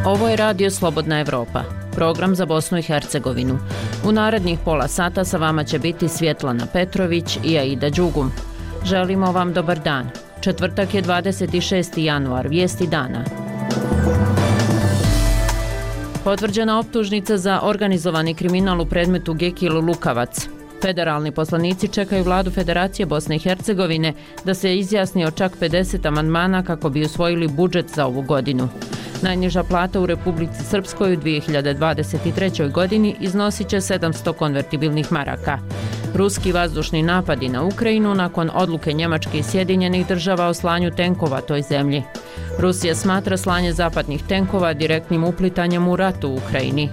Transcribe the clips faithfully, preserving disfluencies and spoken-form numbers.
Ovo je Radio Slobodna Evropa, program za Bosnu i Hercegovinu. U narednih pola sata sa vama će biti Svjetlana Petrović i Aida Đugum. Želimo vam dobar dan. Četvrtak je dvadeset šesti januar, vijesti dana. Potvrđena optužnica za organizovani kriminal u predmetu Gekil Lukavac. Federalni poslanici čekaju vladu Federacije Bosne i Hercegovine da se izjasni o čak pedeset amandmana kako bi usvojili budžet za ovu godinu. Najniža plata u Republici Srpskoj u dvije hiljade dvadeset trećoj godini iznosit će sedamsto konvertibilnih maraka. Ruski vazdušni napadi na Ukrajinu nakon odluke Njemačke i Sjedinjenih država o slanju tenkova toj zemlji. Rusija smatra slanje zapadnih tenkova direktnim uplitanjem u rat u Ukrajini.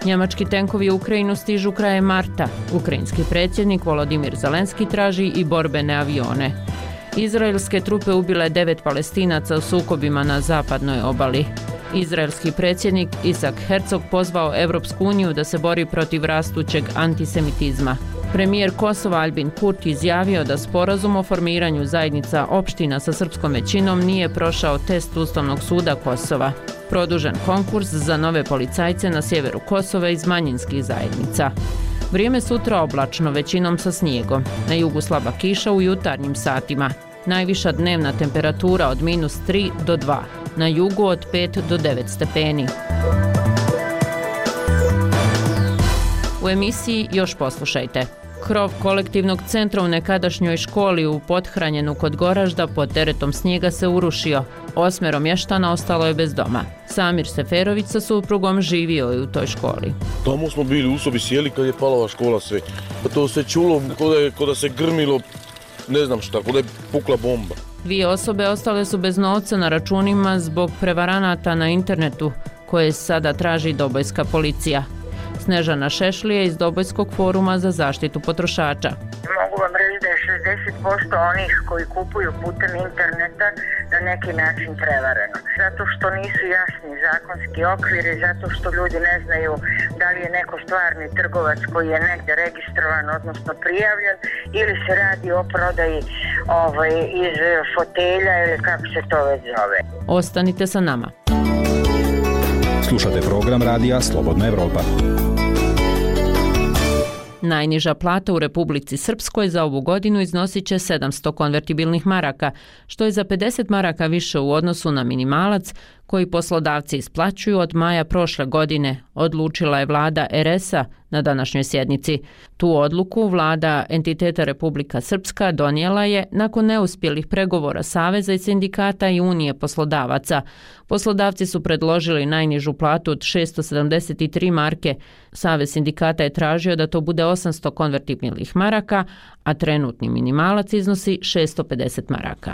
Njemački tenkovi u Ukrajinu stižu krajem marta. Ukrajinski predsjednik Volodimir Zelenski traži i borbene avione. Izraelske trupe ubile devet Palestinaca u sukobima na zapadnoj obali. Izraelski predsjednik Isak Herzog pozvao Evropsku uniju da se bori protiv rastućeg antisemitizma. Premijer Kosova Albin Kurti izjavio da sporazum o formiranju zajednica opština sa srpskom većinom nije prošao test Ustavnog suda Kosova. Produžen konkurs za nove policajce na sjeveru Kosova iz manjinskih zajednica. Vrijeme sutra oblačno, većinom sa snijegom. Na jugu slaba kiša u jutarnjim satima. Najviša dnevna temperatura od minus tri do dva. Na jugu od pet do devet stepeni. U emisiji još poslušajte. Krov kolektivnog centra u nekadašnjoj školi u Pothranjenu kod Goražda pod teretom snijega se urušio. Osmero mještana ostalo je bez doma. Samir Seferović sa suprugom živio je u toj školi. Tamo smo bili u sobi, sjeli kad je palava škola sve. To se čulo kod da se grmilo, ne znam šta, kod da je pukla bomba. Dvije osobe ostale su bez novca na računima zbog prevaranata na internetu koje sada traži Dobojska policija. Snežana Šešlije iz Dobojskog foruma za zaštitu potrošača. Mogu vam reći da je šezdeset posto onih koji kupuju putem interneta na neki način prevareno. Zato što nisu jasni zakonski okviri, zato što ljudi ne znaju da li je neko stvarni trgovac koji je negdje registrovan, odnosno prijavljen, ili se radi o prodaji ovaj, iz fotelja ili kako se to već zove. Ostanite sa nama. Slušate program Radija Slobodna Evropa. Najniža plata u Republici Srpskoj za ovu godinu iznosit će sedamsto konvertibilnih maraka, što je za pedeset maraka više u odnosu na minimalac koji poslodavci isplaćuju od maja prošle godine, odlučila je vlada er es a na današnjoj sjednici. Tu odluku vlada entiteta Republika Srpska donijela je nakon neuspjelih pregovora Saveza i sindikata i Unije poslodavaca. Poslodavci su predložili najnižu platu od šesto sedamdeset tri marke. Savez sindikata je tražio da to bude osamsto konvertibilnih maraka, a trenutni minimalac iznosi šesto pedeset maraka.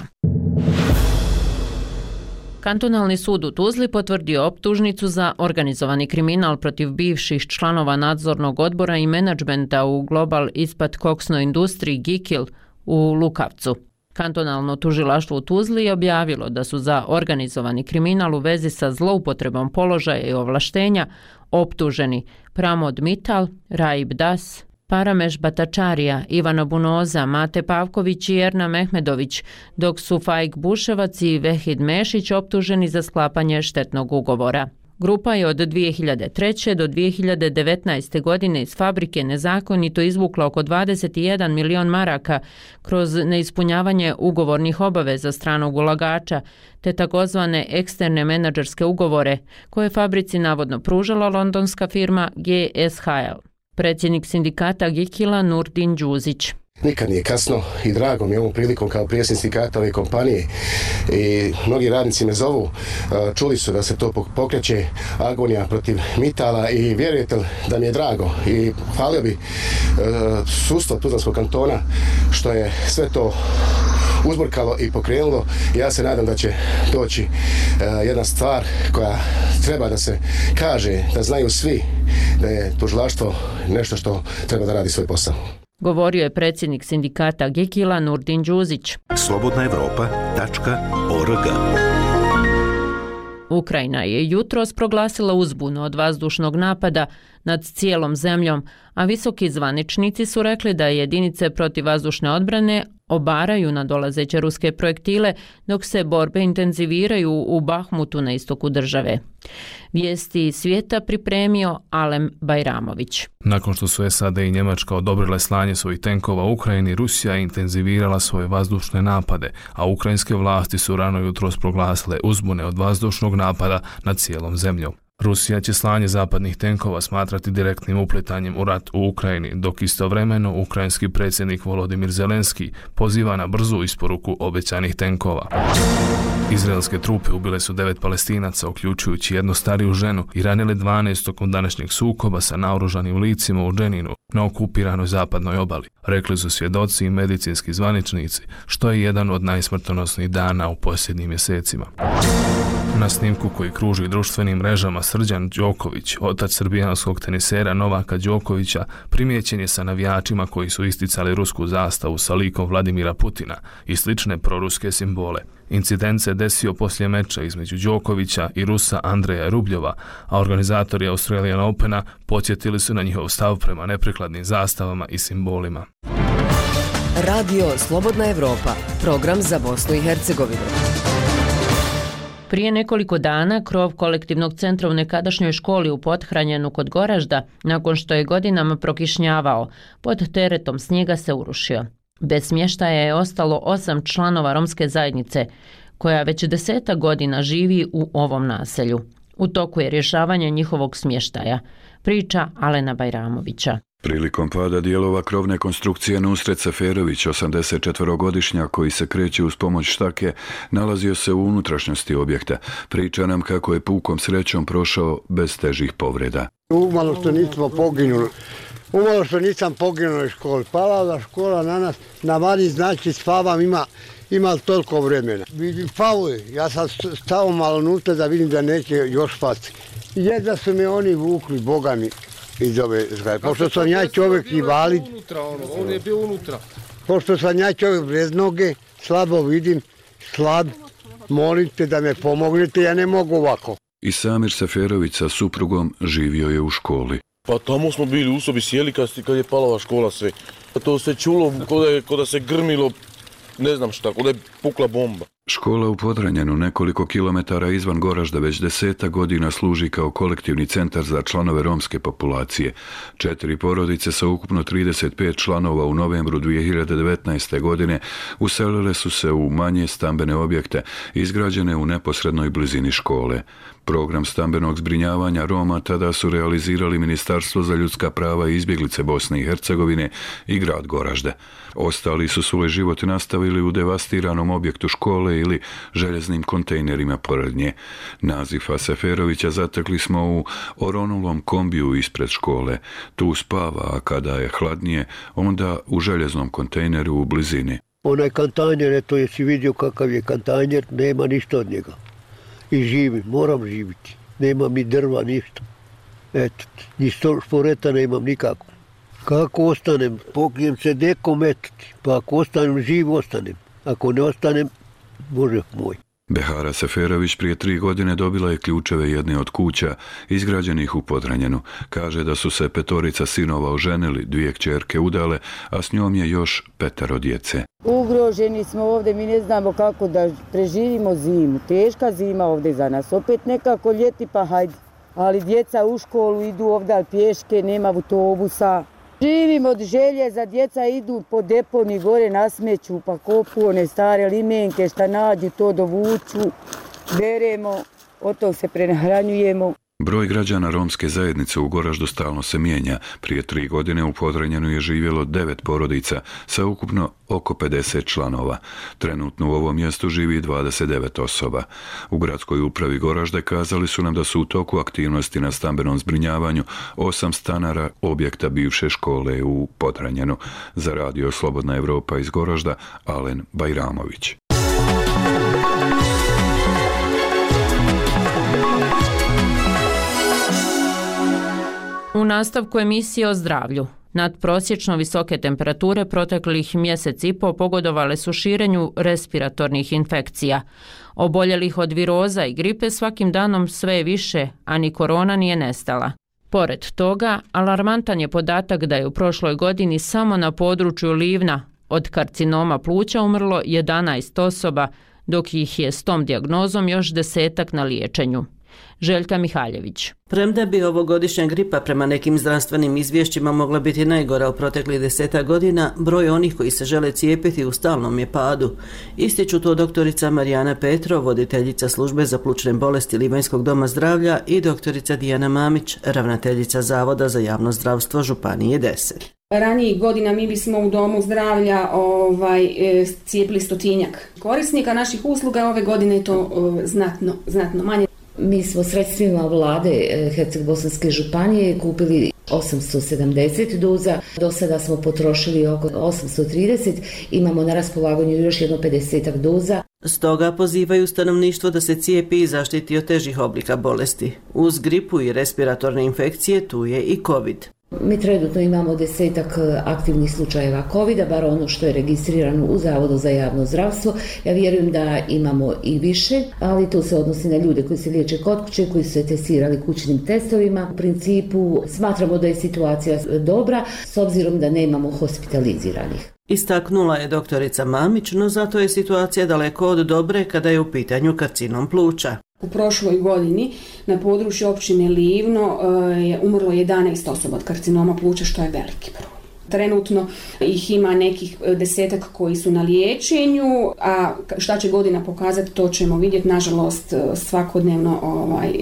Kantonalni sud u Tuzli potvrdio optužnicu za organizovani kriminal protiv bivših članova nadzornog odbora i menadžmenta u Global ispat koksnoj industriji Gekil u Lukavcu. Kantonalno tužilaštvo u Tuzli je objavilo da su za organizovani kriminal u vezi sa zloupotrebom položaja i ovlaštenja optuženi Pramod Mital, Raib Das, Parameš Batačarija, Ivana Bunoza, Mate Pavković i Erna Mehmedović, dok su Faik Buševac i Vehid Mešić optuženi za sklapanje štetnog ugovora. Grupa je od dvije hiljade treće. do dvije hiljade devetnaeste. godine iz fabrike nezakonito izvukla oko dvadeset jedan milion maraka kroz neispunjavanje ugovornih obaveza stranog ulagača, te takozvane eksterne menadžerske ugovore koje fabrici navodno pružala londonska firma G S H L. Predsjednik sindikata Gekila Nurdin Đuzić. Nikad nije kasno i drago mi je ovom prilikom kao predsjednik sindikata ove kompanije i mnogi radnici me zovu, čuli su da se to pokreće agonija protiv Mitala i vjerujete da mi je drago i hvalio bi sudstvo Tuzlanskog kantona što je sve to uzburkalo i pokrenulo. Ja se nadam da će doći jedna stvar koja treba da se kaže, da znaju svi da je tužilaštvo nešto što treba da radi svoj posao. Govorio je predsjednik sindikata Gekila Nurdin Đuzić. slobodna evropa tačka org. Ukrajina je jutros proglasila uzbunu od vazdušnog napada nad cijelom zemljom, a visoki zvaničnici su rekli da jedinice protivvazdušne odbrane obaraju na dolazeće ruske projektile, dok se borbe intenziviraju u Bahmutu na istoku države. Vijesti svijeta pripremio Alen Bajramović. Nakon što su S A D i Njemačka odobrile slanje svojih tenkova u Ukrajini, Rusija je intenzivirala svoje vazdušne napade, a ukrajinske vlasti su rano jutros proglasile uzbune od vazdušnog napada nad cijelom zemljom. Rusija će slanje zapadnih tenkova smatrati direktnim upletanjem u rat u Ukrajini, dok istovremeno ukrajinski predsjednik Volodimir Zelenski poziva na brzu isporuku obećanih tenkova. Izraelske trupe ubile su devet Palestinaca, uključujući jednu stariju ženu, i ranile dvanaest tokom današnjeg sukoba sa naoružanim licima u Dženinu na okupiranoj zapadnoj obali. Rekli su svjedoci i medicinski zvaničnici, što je jedan od najsmrtonosnijih dana u posljednjim mjesecima. Na snimku koji kruži društvenim mrežama Srđan Đoković, otac srbijanskog tenisera Novaka Đokovića, primijećen je sa navijačima koji su isticali rusku zastavu sa likom Vladimira Putina i slične proruske simbole. Incident se desio poslije meča između Đokovića i Rusa Andreja Rubljova, a organizatori Australian Opena podsjetili su na njihov stav prema neprikladnim zastavama i simbolima. Radio Slobodna Evropa, program za Bosnu i Hercegovinu. Prije nekoliko dana krov kolektivnog centra u nekadašnjoj školi u Pothranjenu kod Goražda, nakon što je godinama prokišnjavao, pod teretom snijega se urušio. Bez smještaja je ostalo osam članova romske zajednice, koja već desetak godina živi u ovom naselju. U toku je rješavanje njihovog smještaja, priča Alena Bajramovića. Prilikom pada dijelova krovne konstrukcije Nusret Seferović, osamdesetčetvorogodišnjak koji se kreće uz pomoć štake, nalazio se u unutrašnjosti objekta. Priča nam kako je pukom srećom prošao bez težih povreda. Umalo što nismo poginuli. Umalo što nisam poginuo u školi. Pala škola na nas, na vani znači spavam, ima, ima toliko vremena. Vidim, spavuje. Ja sam stao malo nutra da vidim da neće još spati. Jedva su me oni vukli, Boga mi. Iz ove zgrade. Pošto sam ja čovjek invalid, on je bio unutra. Pošto sam ja čovjek bez noge, slabo vidim, slab, molite da me pomognete, ja ne mogu ovako. I Samir Seferović sa suprugom živio je u školi. Pa tamo smo bili u sobi sjeli kad je palava škola sve. To se čulo ko da se grmilo, ne znam šta, ko da je pukla bomba. Škola u Podranjenu, nekoliko kilometara izvan Goražda, već deseta godina služi kao kolektivni centar za članove romske populacije. Četiri porodice sa ukupno trideset pet članova u novembru dvije hiljade devetnaeste. godine uselile su se u manje stambene objekte izgrađene u neposrednoj blizini škole. Program stambenog zbrinjavanja Roma tada su realizirali Ministarstvo za ljudska prava i izbjeglice Bosne i Hercegovine i grad Goražde. Ostali su svoj život nastavili u devastiranom objektu škole ili željeznim kontejnerima pored nje. Nazifa Seferovića zatekli smo u oronulom kombiju ispred škole. Tu spava, a kada je hladnije, onda u željeznom kontejneru u blizini. Onaj kantanjer, eto jesi vidio kakav je kantanjer, nema ništa od njega. I živim, moram živiti. Nemam ni drva, ništa. Eto, ni šporeta nemam nikako. Kako ostanem? Pokrijem se dekom, eto ti. Pa ako ostanem živ, ostanem. Ako ne ostanem, Bože moj. Behara Seferović prije tri godine dobila je ključeve jedne od kuća izgrađenih u Podranjenu. Kaže da su se petorica sinova oženili, dvije kćerke udale, a s njom je još petero djece. Ugroženi smo ovdje, mi ne znamo kako da preživimo zimu. Teška zima ovdje za nas. Opet nekako ljeti pa hajde. Ali djeca u školu idu ovdje pješke, nema autobusa. Živim od želje, za djeca idu po deponi gore na smeću, pa kopu one stare limenke, šta nađu, to dovuču, beremo, od tog se prenahranjujemo. Broj građana romske zajednice u Goraždu stalno se mijenja. Prije tri godine u Podranjenu je živjelo devet porodica sa ukupno oko pedeset članova. Trenutno u ovom mjestu živi dvadeset devet osoba. U gradskoj upravi Goražde kazali su nam da su u toku aktivnosti na stambenom zbrinjavanju osam stanara objekta bivše škole u Podranjenu. Za Radio Slobodna Evropa iz Goražda, Alen Bajramović. U nastavku emisije o zdravlju. Nadprosječno visoke temperature proteklih mjesec i po pogodovale su širenju respiratornih infekcija. Oboljelih od viroza i gripe svakim danom sve je više, a ni korona nije nestala. Pored toga, alarmantan je podatak da je u prošloj godini samo na području Livna Od karcinoma pluća umrlo jedanaest osoba, dok ih je s tom dijagnozom još desetak na liječenju. Željka Mihaljević. Premda bi ovogodišnja gripa prema nekim zdravstvenim izvješćima mogla biti najgora u proteklih deseta godina, broj onih koji se žele cijepiti u stalnom je padu. Ističu to doktorica Marijana Petrov, voditeljica službe za plućne bolesti Livanjskog doma zdravlja, i doktorica Dijana Mamić, ravnateljica Zavoda za javno zdravstvo Županije deset. Ranijih godina mi bismo u domu zdravlja ovaj, e, cijepili stotinjak korisnika naših usluga, ove godine je to e, znatno, znatno manje. Mi smo sredstvima vlade Herceg-Bosanske županije kupili osamsto sedamdeset doza, do sada smo potrošili oko osamsto trideset, imamo na raspolaganju još jedno pedesetak doza. Stoga pozivaju stanovništvo da se cijepi i zaštiti od težih oblika bolesti. Uz gripu i respiratorne infekcije tu je i COVID. Mi trenutno imamo desetak aktivnih slučajeva kovida, bar ono što je registrirano u Zavodu za javno zdravstvo. Ja vjerujem da imamo i više, ali to se odnosi na ljude koji se liječe kod kuće, koji su se testirali kućnim testovima. U principu smatramo da je situacija dobra, s obzirom da nemamo hospitaliziranih. Istaknula je doktorica Mamić, no zato je situacija daleko od dobre kada je u pitanju karcinom pluća. U prošloj godini na području općine Livno je umrlo jedanaest osoba od karcinoma pluća, što je veliki broj. Trenutno ih ima nekih desetak koji su na liječenju, a šta će godina pokazati, to ćemo vidjeti. Nažalost, svakodnevno ovaj,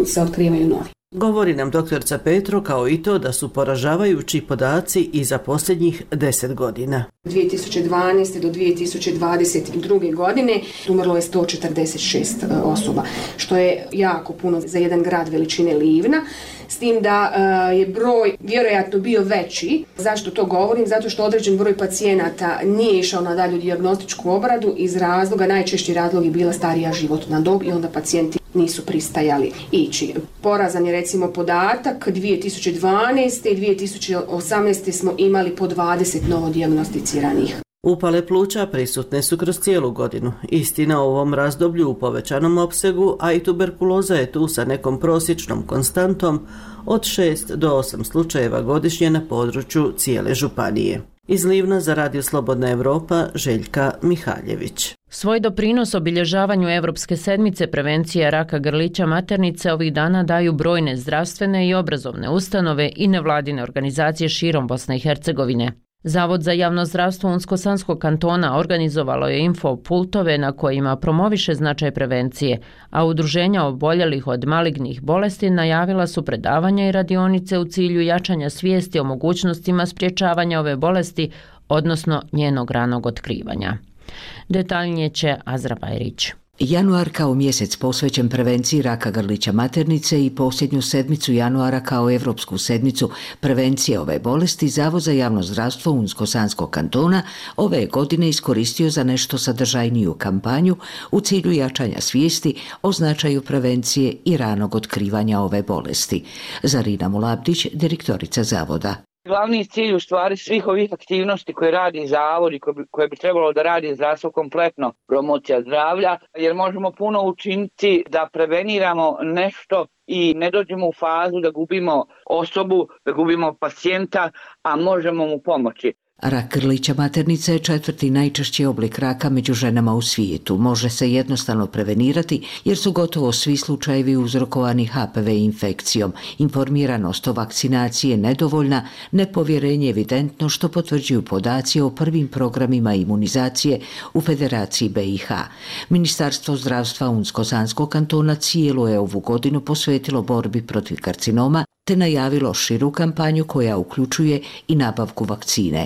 se otkrivaju novi. Govori nam doktorica Petro kao i to da su poražavajući podaci i za posljednjih deset godina. dvije tisuće dvanaeste do dvije tisuće dvadeset druge godine umrlo je sto četrdeset šest osoba, što je jako puno za jedan grad veličine Livna, s tim da je broj vjerojatno bio veći. Zašto to govorim? Zato što određen broj pacijenata nije išao na dalju dijagnostičku obradu iz razloga, najčešći razlog je bila starija životna dob i onda pacijenti nisu pristajali ići. Porazan je recimo podatak, dvije tisuće dvanaeste i dvije tisuće osamnaeste smo imali po dvadeset novodijagnosticiranih. Upale pluća prisutne su kroz cijelu godinu. Istina, u ovom razdoblju u povećanom opsegu, a i tuberkuloza je tu sa nekom prosječnom konstantom od šest do osam slučajeva godišnje na području cijele županije. Iz Livna za Radio Slobodna Evropa, Željka Mihaljević. Svoj doprinos obilježavanju Evropske sedmice prevencije raka grlića maternice ovih dana daju brojne zdravstvene i obrazovne ustanove i nevladine organizacije širom Bosne i Hercegovine. Zavod za javno zdravstvo Unsko-Sanskog kantona organizovalo je info pultove na kojima promoviše značaj prevencije, a udruženja oboljelih od malignih bolesti najavila su predavanja i radionice u cilju jačanja svijesti o mogućnostima sprječavanja ove bolesti, odnosno njenog ranog otkrivanja. Detaljnije će Azra Bajrić. Januar kao mjesec posvećen prevenciji raka grlića maternice i posljednju sedmicu januara kao Evropsku sedmicu prevencije ove bolesti Zavod za javno zdravstvo Unsko-Sanskog kantona ove godine iskoristio za nešto sadržajniju kampanju u cilju jačanja svijesti o značaju prevencije i ranog otkrivanja ove bolesti. Zarina Mulabdić, direktorica Zavoda. Glavni cilj u stvari svih ovih aktivnosti koje radi Zavod i koje bi trebalo da radi zdravstvo kompletno, promocija zdravlja, jer možemo puno učiniti da preveniramo nešto i ne dođemo u fazu da gubimo osobu, da gubimo pacijenta, a možemo mu pomoći. Rak grlića maternice je četvrti najčešći oblik raka među ženama u svijetu. Može se jednostavno prevenirati jer su gotovo svi slučajevi uzrokovani H P V infekcijom. Informiranost o vakcinaciji je nedovoljna, nepovjerenje evidentno što potvrđuju podaci o prvim programima imunizacije u Federaciji B i H. Ministarstvo zdravstva Unsko-Sanskog kantona cijelu je ovu godinu posvetilo borbi protiv karcinoma te najavilo širu kampanju koja uključuje i nabavku vakcine.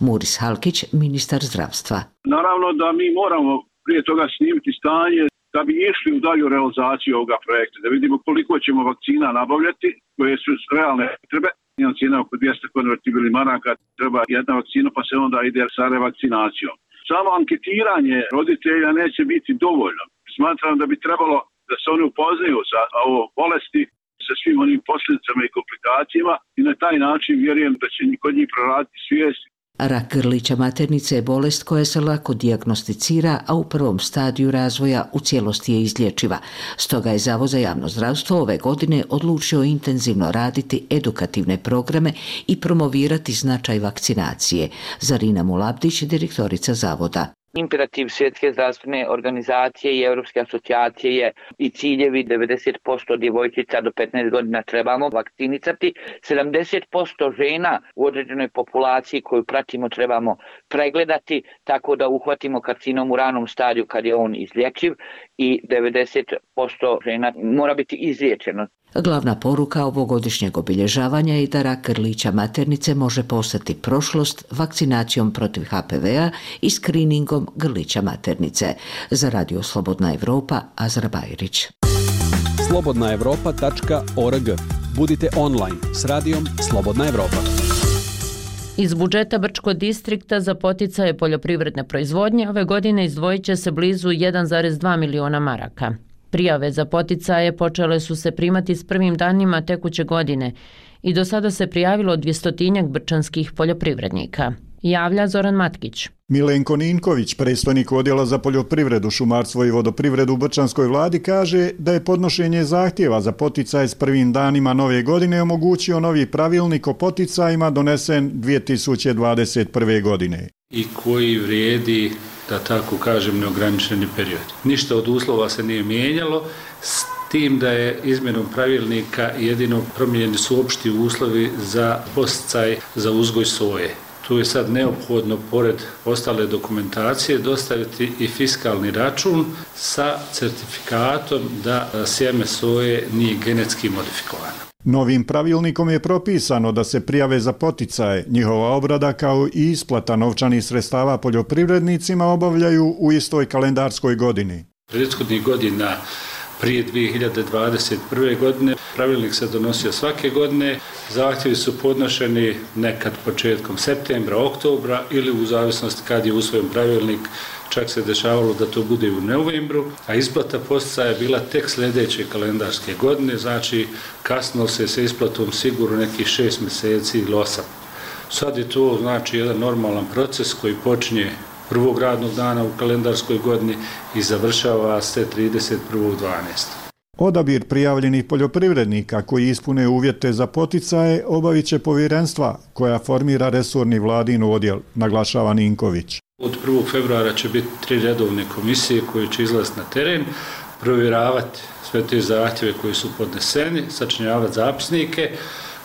Muris Halkić, ministar zdravstva. Naravno da mi moramo prije toga snimiti stanje da bi išli u dalju realizaciju ovoga projekta, da vidimo koliko ćemo vakcina nabavljati, koje su realne potrebe. Jedna cijena oko dvjesto konvertibilnih maraka, treba jedna vakcina pa se onda ide sa revakcinacijom. Samo anketiranje roditelja neće biti dovoljno. Smatram da bi trebalo da se oni upoznaju sa ovom bolesti, sa svim onim posljedicama i komplikacijama i na taj način vjerujem da će kod njih proraditi svijest. Rak grlića maternice je bolest koja se lako dijagnosticira, a u prvom stadiju razvoja u cijelosti je izlječiva. Stoga je Zavod za javno zdravstvo ove godine odlučio intenzivno raditi edukativne programe i promovirati značaj vakcinacije. Zarina Mulabdić, direktorica Zavoda. Imperativ Svjetske zdravstvene organizacije i Europske asocijacije je i ciljevi devedeset posto djevojčica do petnaest godina trebamo vakcinisati, sedamdeset posto žena u određenoj populaciji koju pratimo trebamo pregledati tako da uhvatimo karcinom u ranom stadiju kad je on izlječiv i devedeset posto žena mora biti izliječeno. Glavna poruka ovogodišnjeg obilježavanja je da rak grlića maternice može postati prošlost vakcinacijom protiv H P V-a i skriningom grlića maternice. Za Radio Slobodna Evropa, Azra Bajrić. slobodna evropa tačka org. Budite online s radijom Slobodna Evropa. Iz budžeta Brčkog distrikta za poticaje poljoprivredne proizvodnje ove godine izdvojit će se blizu jedan zarez dva miliona maraka. Prijave za poticaje počele su se primati s prvim danima tekuće godine i do sada se prijavilo dvjestotinjak brčanskih poljoprivrednika. Javlja Zoran Matkić. Milenko Ninković, predstojnik odjela za poljoprivredu, šumarstvo i vodoprivredu u Brčanskoj vladi, kaže da je podnošenje zahtjeva za poticaj s prvim danima nove godine omogućio novi pravilnik o poticajima donesen dvije tisuće dvadeset prve. godine. I koji vrijedi, da tako kažem, neograničeni period. Ništa od uslova se nije mijenjalo, s tim da je izmjenom pravilnika jedino promijenjeni su opšti uslovi za podsticaj za uzgoj soje. Tu je sad neophodno, pored ostale dokumentacije, dostaviti i fiskalni račun sa certifikatom da sjeme soje nije genetski modifikovano. Novim pravilnikom je propisano da se prijave za poticaje, njihova obrada kao i isplata novčanih sredstava poljoprivrednicima obavljaju u istoj kalendarskoj godini. Prethodnih godina prije dvije hiljade dvadeset prve. godine pravilnik se donosio svake godine, zahtjevi su podnošeni nekad početkom septembra, oktobra ili u zavisnosti kad je usvojen pravilnik, čak se dešavalo da to bude u novembru, a isplata poticaja je bila tek sljedeće kalendarske godine, znači kasnilo se sa isplatom sigurno nekih šest mjeseci ili osam. Sad je to znači jedan normalan proces koji počinje prvog radnog dana u kalendarskoj godini i završava se trideset prvog dvanaestog Odabir prijavljenih poljoprivrednika koji ispune uvjete za poticaje obavit će povjerenstva koja formira resorni vladin odjel, naglašava Ninković. Od prvog februara će biti tri redovne komisije koje će izlaziti na teren, provjeravati sve te zahtjeve koji su podneseni, sačinjavati zapisnike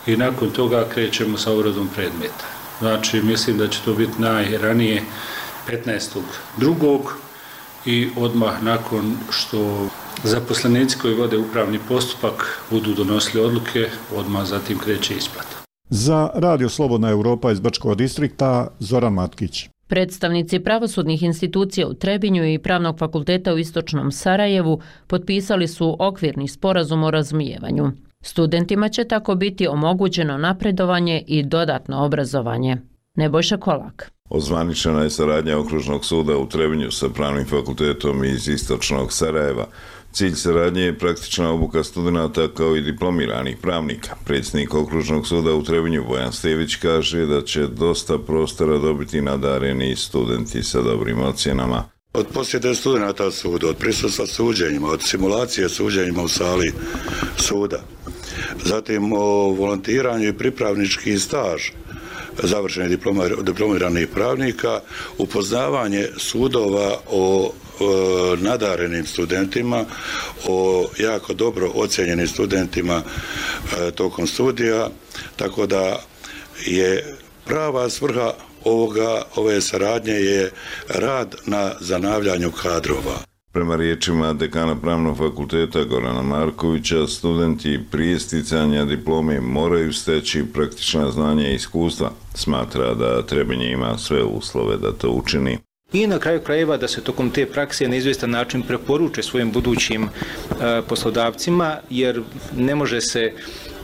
i nakon toga krećemo sa obradom predmeta. Znači, mislim da će to biti najranije petnaestog drugog i odmah nakon što zaposlenici koji vode upravni postupak budu donosili odluke, odmah zatim kreće isplata. Za Radio Slobodna Evropa iz Brčkog distrikta, Zoran Matkić. Predstavnici pravosudnih institucija u Trebinju i Pravnog fakulteta u Istočnom Sarajevu potpisali su okvirni sporazum o razumijevanju. Studentima će tako biti omogućeno napredovanje i dodatno obrazovanje. Nebojša Kolak. Ozvaničena je saradnja Okružnog suda u Trebinju sa Pravnim fakultetom iz Istočnog Sarajeva. Cilj saradnje je praktična obuka studenata kao i diplomiranih pravnika. Predsjednik Okružnog suda u Trebinju Bojan Stević kaže da će dosta prostora dobiti nadareni studenti sa dobrim ocjenama. Od posjete studenata suda, od prisustva suđenjima, od simulacije suđenjima u sali suda, zatim o volontiranju i pripravnički staž završenih diplomiranih pravnika, upoznavanje sudova o nadarenim studentima, o jako dobro ocjenjenim studentima tokom studija, tako da je prava svrha ovoga, ove saradnje je rad na zanavljanju kadrova. Prema riječima dekana Pravnog fakulteta Gorana Markovića, studenti prije sticanja diplome moraju steći praktična znanja i iskustva. Smatra da Trebinje ima sve uslove da to učini. I na kraju krajeva da se tokom te prakse na izvjestan način preporuče svojim budućim e, poslodavcima, jer ne može se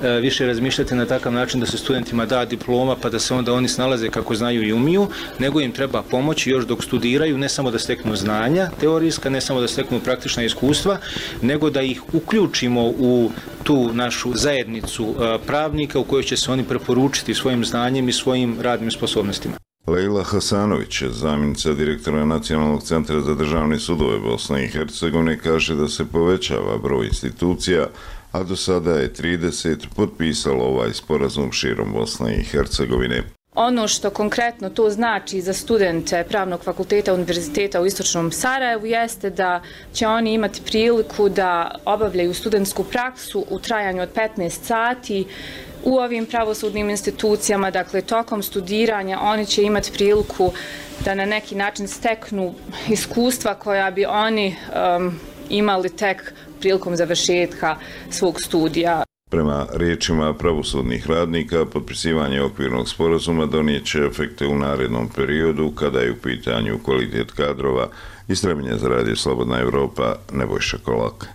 e, više razmišljati na takav način da se studentima da diploma pa da se onda oni snalaze kako znaju i umiju, nego im treba pomoći još dok studiraju, ne samo da steknu znanja teorijska, ne samo da steknu praktična iskustva, nego da ih uključimo u tu našu zajednicu e, pravnika u kojoj će se oni preporučiti svojim znanjem i svojim radnim sposobnostima. Lejla Hasanović, zamjenica direktora Nacionalnog centra za državne sudove Bosne i Hercegovine, kaže da se povećava broj institucija, a do sada je trideset potpisalo ovaj sporazum širom Bosne i Hercegovine. Ono što konkretno to znači za studente Pravnog fakulteta Univerziteta u Istočnom Sarajevu jeste da će oni imati priliku da obavljaju studentsku praksu u trajanju od petnaest sati u ovim pravosudnim institucijama. Dakle, tokom studiranja oni će imati priliku da na neki način steknu iskustva koja bi oni um, imali tek prilikom završetka svog studija. Prema riječima pravosudnih radnika, potpisivanje okvirnog sporazuma donijet će efekte u narednom periodu kada je u pitanju kvalitet kadrova. Iz Trebinja za Radio Slobodna Evropa, Nebojša Kolak.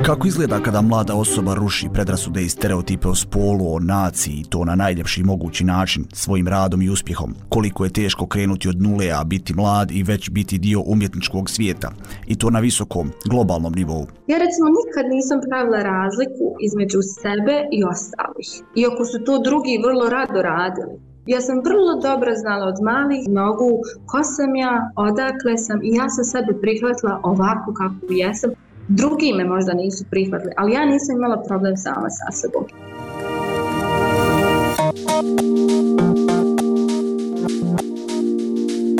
Kako izgleda kada mlada osoba ruši predrasude i stereotipe o spolu, o naciji i to na najljepši mogući način, svojim radom i uspjehom? Koliko je teško krenuti od nule, a biti mlad i već biti dio umjetničkog svijeta? I to na visokom, globalnom nivou. Ja recimo nikad nisam pravila razliku između sebe i ostalih. Iako su to drugi vrlo rado radili. Ja sam vrlo dobro znala od malih nogu ko sam ja, odakle sam i ja sam sebe prihvatila ovako kako jesam. Drugi me možda nisu prihvatili, ali ja nisam imala problem sama sa sobom.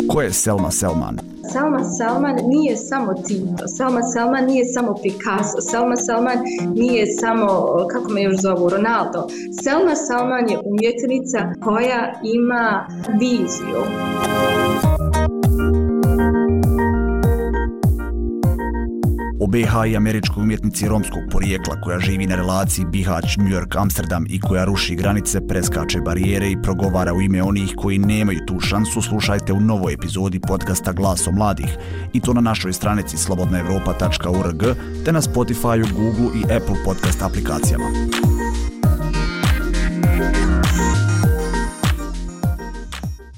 Ko je Selma Selman? Selma Selman nije samo Tito, Selma Selman nije samo Picasso, Selma Selman nije samo, kako me još zovu, Ronaldo. Selma Selman je umjetnica koja ima viziju. O B H i američkoj umjetnici romskog porijekla koja živi na relaciji Bihać, New York, Amsterdam i koja ruši granice, preskače barijere i progovara u ime onih koji nemaju tu šansu, slušajte u novoj epizodi podcasta Glaso mladih i to na našoj stranici slobodna evropa tačka org te na Spotifyu, Google i Apple podcast aplikacijama.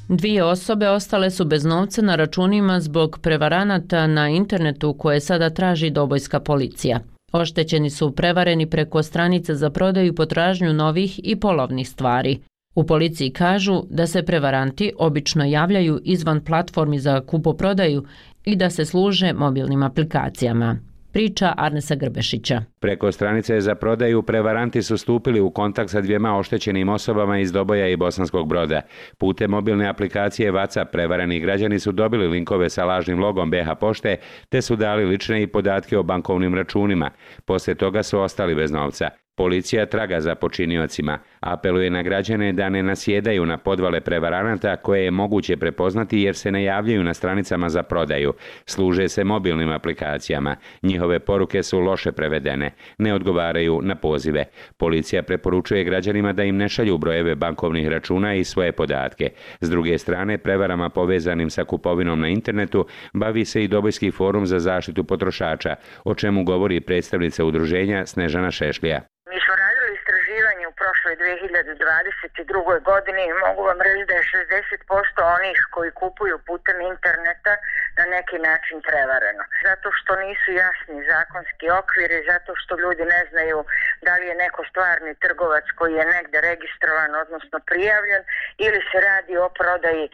Dvije osobe ostale su bez novca na računima zbog prevaranata na internetu koje sada traži dobojska policija. Oštećeni su prevareni preko stranice za prodaju i potražnju novih i polovnih stvari. U policiji kažu da se prevaranti obično javljaju izvan platformi za kupoprodaju i da se služe mobilnim aplikacijama. Priča Arnesa Grbešića. Preko stranice za prodaju prevaranti su stupili u kontakt sa dvijema oštećenim osobama iz Doboja i Bosanskog Broda. Putem mobilne aplikacije WhatsApp prevareni građani su dobili linkove sa lažnim logom B H pošte te su dali lične i podatke o bankovnim računima. Poslije toga su ostali bez novca. Policija traga za počiniocima, apeluje na građane da ne nasjedaju na podvale prevaranata koje je moguće prepoznati jer se ne javljaju na stranicama za prodaju. Služe se mobilnim aplikacijama. Njihove poruke su loše prevedene, ne odgovaraju na pozive. Policija preporučuje građanima da im ne šalju brojeve bankovnih računa i svoje podatke. S druge strane, prevarama povezanim sa kupovinom na internetu bavi se i Dobojski forum za zaštitu potrošača, o čemu govori predstavnica udruženja Snežana Šešlija. Mi smo radili istraživanje u prošloj dvije hiljade dvadeset drugoj godini i mogu vam reći da je šezdeset posto onih koji kupuju putem interneta na neki način prevareno. Zato što nisu jasni zakonski okviri, zato što ljudi ne znaju da li je neko stvarni trgovac koji je negde registrovan, odnosno prijavljen, ili se radi o prodaji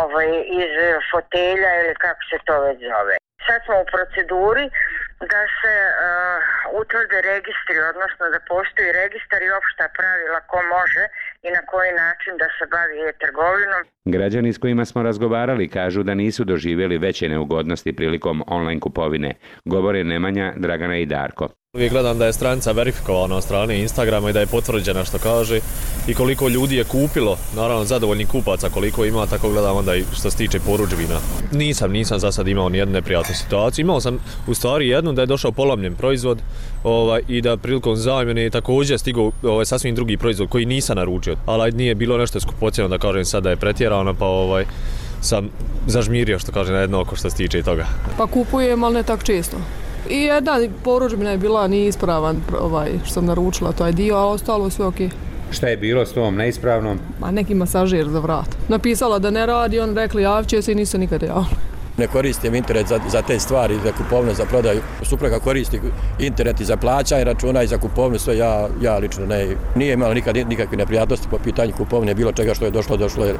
ovaj, iz fotelja ili kako se to već zove. Sad smo u proceduri da se uh, utvrde registri, odnosno da postoji registar i opšta pravila ko može i na koji način da se bavi e-trgovinom. Građani s kojima smo razgovarali kažu da nisu doživjeli veće neugodnosti prilikom online kupovine. Govore Nemanja, Dragana i Darko. Uvijek gledam da je stranica verifikovana od strane Instagrama i da je potvrđena što kaže i koliko ljudi je kupilo, naravno zadovoljnih kupaca koliko ima, tako gledam onda i što se tiče porudžbina. Nisam, nisam za sad imao nijednu neprijatnu situaciju. Imao sam u stvari jednu da je došao polomljen proizvod ovaj, i da prilikom zamjene je također stigao ovaj, sasvim drugi proizvod koji nisam naručio. Ali nije bilo nešto skupocjeno da kažem sad da je pretjerano pa ovaj, sam zažmirio što kaže na jedno oko što se tiče toga. Pa kupujem, ali ne tak često. I jedna porudžbina je bila neispravan ovaj, što sam naručila taj dio, a ostalo sve okej. Šta je bilo s tom neispravnom? Ma neki masažer za vrat. Napisala da ne radi, on rekli javit će se i nisu nikada javili. Ne koristim internet za, za te stvari, za kupovinu, za prodaju. Supruga koristi internet i za plaćanje računa i za kupovinu, sve ja, ja lično ne. Nije imala nikad nikakve neprijatnosti po pitanju kupovine, bilo čega što je došlo, došlo je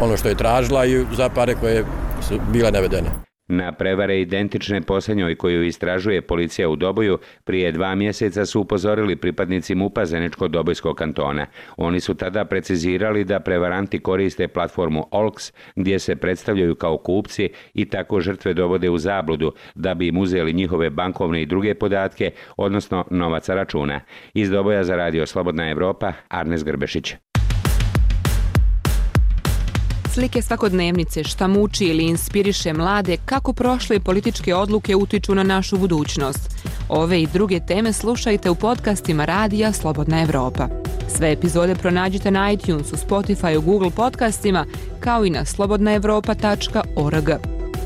ono što je tražila i za pare koje su bile navedene. Na prevare identične posljednjoj koju istražuje policija u Doboju prije dva mjeseca su upozorili pripadnici MUP-a Zeničko-Dobojskog kantona. Oni su tada precizirali da prevaranti koriste platformu O L X gdje se predstavljaju kao kupci i tako žrtve dovode u zabludu da bi im uzeli njihove bankovne i druge podatke, odnosno novaca računa. Iz Doboja za radio Slobodna Evropa, Arnes Grbešić. Slike svakodnevnice, šta muči ili inspiriše mlade, kako prošle političke odluke utiču na našu budućnost. Ove i druge teme slušajte u podcastima radija Slobodna Evropa. Sve epizode pronađite na iTunesu, Spotifyu, Google podcastima, kao i na slobodna evropa tačka org.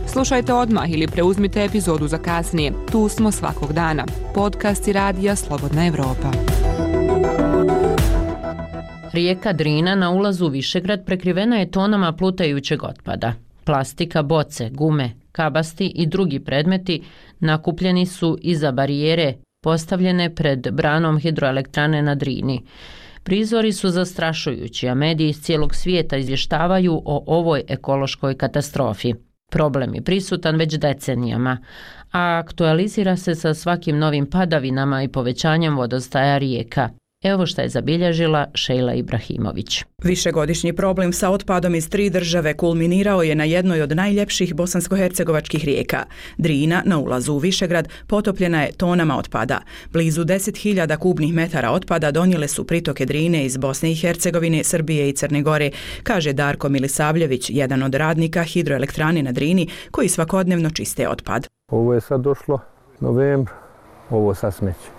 Slušajte odmah ili preuzmite epizodu za kasnije. Tu smo svakog dana. Podcasti radija Slobodna Evropa. Rijeka Drina na ulazu u Višegrad prekrivena je tonama plutajućeg otpada. Plastika, boce, gume, kabasti i drugi predmeti nakupljeni su iza barijere postavljene pred branom hidroelektrane na Drini. Prizori su zastrašujući, a mediji iz cijelog svijeta izvještavaju o ovoj ekološkoj katastrofi. Problem je prisutan već decenijama, a aktualizira se sa svakim novim padavinama i povećanjem vodostaja rijeka. Evo što je zabilježila Šejla Ibrahimović. Višegodišnji problem sa otpadom iz tri države kulminirao je na jednoj od najljepših bosansko-hercegovačkih rijeka. Drina na ulazu u Višegrad potopljena je tonama otpada. Blizu deset hiljada kubnih metara otpada donijele su pritoke Drine iz Bosne i Hercegovine, Srbije i Crne Gore, kaže Darko Milisavljević, jedan od radnika hidroelektrane na Drini koji svakodnevno čiste otpad. Ovo je sad došlo novembra, ovo sad smeće.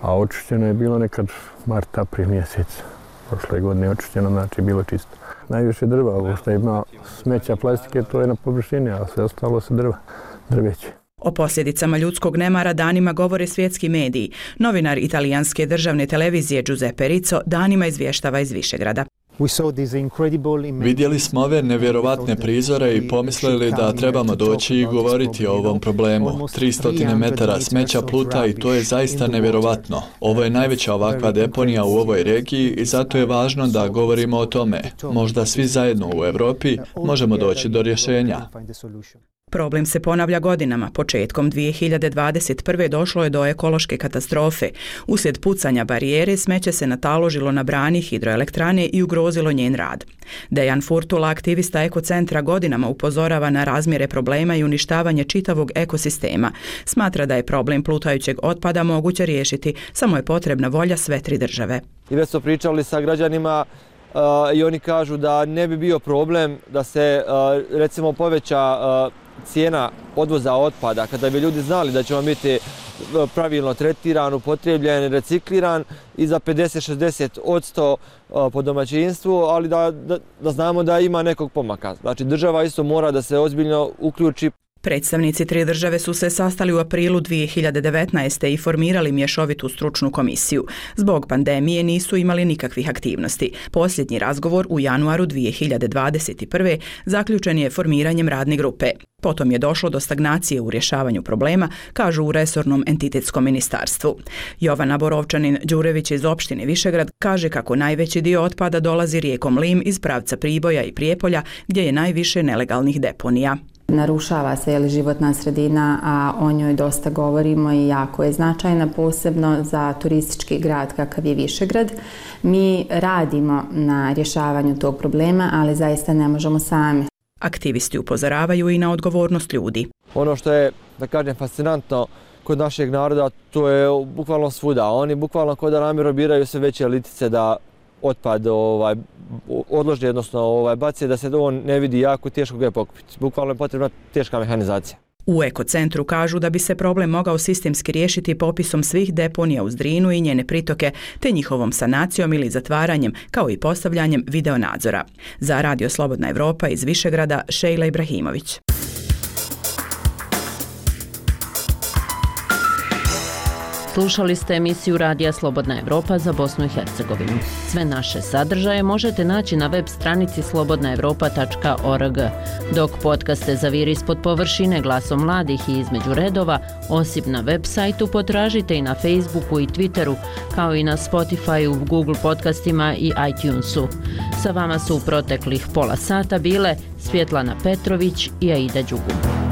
A očišćeno je bilo nekad mart, april mjesec. Prošle godine je očišćeno, znači bilo čisto. Najviše drva, ovo što ima smeća plastike, to je na površini, a sve ostalo se drva, drveće. O posljedicama ljudskog nemara danima govore svjetski mediji. Novinar italijanske državne televizije Giuseppe Rizzo danima izvještava iz Višegrada. Vidjeli smo ove nevjerovatne prizore i pomislili da trebamo doći i govoriti o ovom problemu. tristo metara smeća pluta i to je zaista nevjerovatno. Ovo je najveća ovakva deponija u ovoj regiji i zato je važno da govorimo o tome. Možda svi zajedno u Europi možemo doći do rješenja. Problem se ponavlja godinama. Početkom dvije hiljade dvadeset prve došlo je do ekološke katastrofe. Uslijed pucanja barijere smeće se nataložilo na brani hidroelektrane i ugrozilo njen rad. Dejan Furtula, aktivista ekocentra, godinama upozorava na razmjere problema i uništavanje čitavog ekosistema. Smatra da je problem plutajućeg otpada moguće riješiti, samo je potrebna volja sve tri države. I već smo pričali sa građanima uh, i oni kažu da ne bi bio problem da se uh, recimo poveća uh, cijena odvoza otpada, kada bi ljudi znali da će on biti pravilno tretiran, upotrebljen, recikliran i za pedeset do šezdeset posto po domaćinstvu, ali da, da, da znamo da ima nekog pomaka. Znači država isto mora da se ozbiljno uključi. Predstavnici tri države su se sastali u aprilu dvije hiljade devetnaeste. i formirali mješovitu stručnu komisiju. Zbog pandemije nisu imali nikakvih aktivnosti. Posljednji razgovor u januaru dvije hiljade dvadeset prve. zaključen je formiranjem radne grupe. Potom je došlo do stagnacije u rješavanju problema, kažu u resornom entitetskom ministarstvu. Jovana Borovčanin-Đurević iz opštine Višegrad kaže kako najveći dio otpada dolazi rijekom Lim iz pravca Priboja i Prijepolja, gdje je najviše nelegalnih deponija. Narušava se je životna sredina, a o njoj dosta govorimo i jako je značajna, posebno za turistički grad kakav je Višegrad. Mi radimo na rješavanju tog problema, ali zaista ne možemo sami. Aktivisti upozoravaju i na odgovornost ljudi. Ono što je, da kažem, fascinantno kod našeg naroda, to je bukvalno svuda. Oni bukvalno kod da namjerno biraju sve veće litice da otpad ovaj, odlože, odnosno ovaj, baci, da se on ne vidi, jako teško ga je pokupiti. Bukvalno je potrebna teška mehanizacija. U ekocentru kažu da bi se problem mogao sistemski riješiti popisom svih deponija uz Drinu i njene pritoke, te njihovom sanacijom ili zatvaranjem, kao i postavljanjem videonadzora. Za Radio Slobodna Evropa iz Višegrada, Šejla Slušali ste emisiju Radija Slobodna Evropa za Bosnu i Hercegovinu. Sve naše sadržaje možete naći na web stranici slobodna evropa tačka org. Dok podcaste Zaviri ispod površine glasom mladih i između redova, osim na web sajtu potražite i na Facebooku i Twitteru, kao i na Spotifyu, Google podcastima i iTunesu. Sa vama su u proteklih pola sata bile Svjetlana Petrović i Aida Đugum.